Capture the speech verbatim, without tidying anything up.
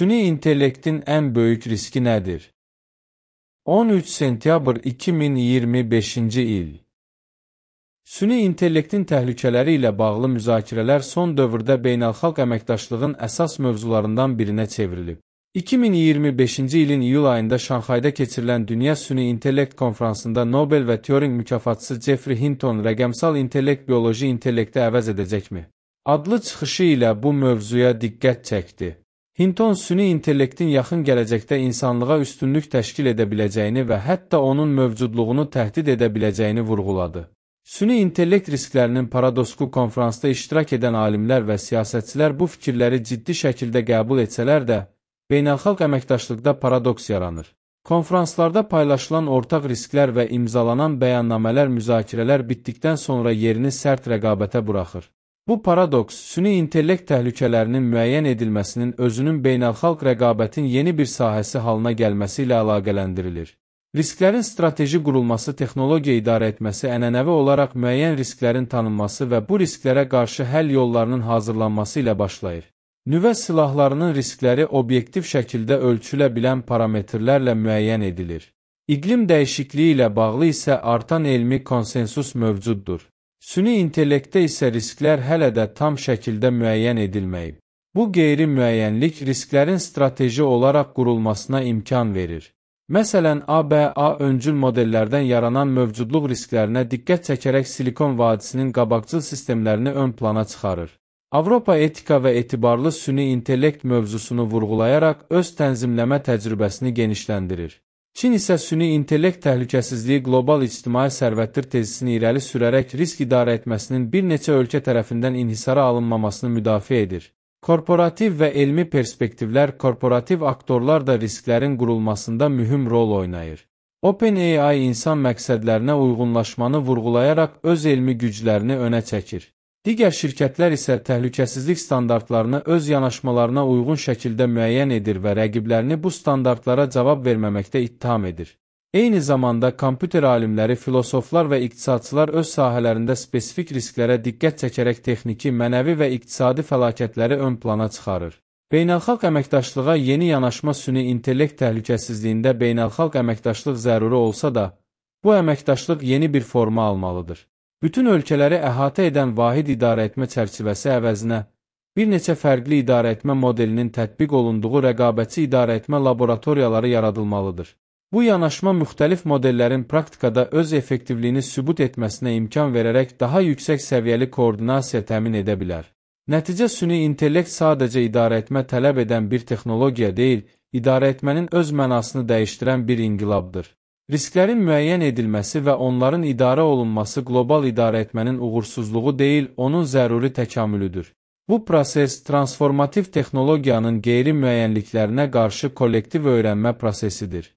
Süni intellektin ən böyük riski nədir? on üç sentyabr iki min iyirmi beşinci il. Süni intellektin təhlükələri ilə bağlı müzakirələr son dövrdə beynəlxalq əməkdaşlığın əsas mövzularından birinə çevrilib. iki min iyirmi beşinci ilin iyul ayında Şanxayda keçirilən Dünya Süni İntellekt Konfransında Nobel və Turing mükafatçısı Jeffrey Hinton rəqəmsal intellekt bioloji intellekti əvəz edəcəkmi? Adlı çıxışı ilə bu mövzuya diqqət çəkdi. Hinton süni intellektin yaxın gələcəkdə insanlığa üstünlük təşkil edə biləcəyini və hətta onun mövcudluğunu təhdid edə biləcəyini vurğuladı. Süni intellekt risklərinin paradosku konfransda iştirak edən alimlər və siyasətçilər bu fikirləri ciddi şəkildə qəbul etsələr də, beynəlxalq əməkdaşlıqda paradoks yaranır. Konfranslarda paylaşılan ortaq risklər və imzalanan bəyannamələr müzakirələr bitdikdən sonra yerini sərt rəqabətə buraxır. Bu paradoks, süni intellekt təhlükələrinin müəyyən edilməsinin özünün beynəlxalq rəqabətin yeni bir sahəsi halına gəlməsi ilə əlaqələndirilir. Risklərin strateji qurulması, texnologiya idarə etməsi, ənənəvi olaraq müəyyən risklərin tanınması və bu risklərə qarşı həll yollarının hazırlanması ilə başlayır. Nüvə silahlarının riskləri obyektiv şəkildə ölçülə bilən parametrlərlə müəyyən edilir. İqlim dəyişikliyi ilə bağlı isə artan elmi konsensus mövcuddur. Süni intellektdə isə risklər hələ də tam şəkildə müəyyən edilməyib. Bu qeyri-müəyyənlik risklərin strateji olaraq qurulmasına imkan verir. Məsələn, A B A öncül modellərdən yaranan mövcudluq risklərinə diqqət çəkərək Silikon vadisinin qabaqcıl sistemlərini ön plana çıxarır. Avropa etika və etibarlı süni intellekt mövzusunu vurğulayaraq öz tənzimləmə təcrübəsini genişləndirir. Çin isə süni intellekt təhlükəsizliyi qlobal ictimai sərvətdir tezisini irəli sürərək risk idarə etməsinin bir neçə ölkə tərəfindən inhisara alınmamasını müdafiə edir. Korporativ və elmi perspektivlər, korporativ aktorlar da risklərin qurulmasında mühüm rol oynayır. OpenAI insan məqsədlərinə uyğunlaşmanı vurğulayaraq öz elmi güclərini önə çəkir. Digər şirkətlər isə təhlükəsizlik standartlarını öz yanaşmalarına uyğun şəkildə müəyyən edir və rəqiblərini bu standartlara cavab verməməkdə ittiham edir. Eyni zamanda kompüter alimləri, filosoflar və iqtisadçılar öz sahələrində spesifik risklərə diqqət çəkərək texniki, mənəvi və iqtisadi fəlakətləri ön plana çıxarır. Beynəlxalq əməkdaşlığa yeni yanaşma süni intellekt təhlükəsizliyində beynəlxalq əməkdaşlıq zəruri olsa da, bu əməkdaşlıq yeni bir forma almalıdır. Bütün ölkələri əhatə edən vahid idarəetmə çərçivəsi əvəzinə, bir neçə fərqli idarəetmə modelinin tətbiq olunduğu rəqabətçi idarəetmə laboratoriyaları yaradılmalıdır. Bu yanaşma müxtəlif modellərin praktikada öz effektivliyini sübut etməsinə imkan verərək daha yüksək səviyyəli koordinasiya təmin edə bilər. Nəticə süni intellekt sadəcə idarəetmə tələb edən bir texnologiya deyil, idarəetmənin öz mənasını dəyişdirən bir inqilabdır. Risklərin müəyyən edilməsi və onların idarə olunması qlobal idarəetmənin uğursuzluğu deyil, onun zəruri təkamülüdür. Bu proses, transformativ texnologiyanın qeyri-müəyyənliklərinə qarşı kollektiv öyrənmə prosesidir.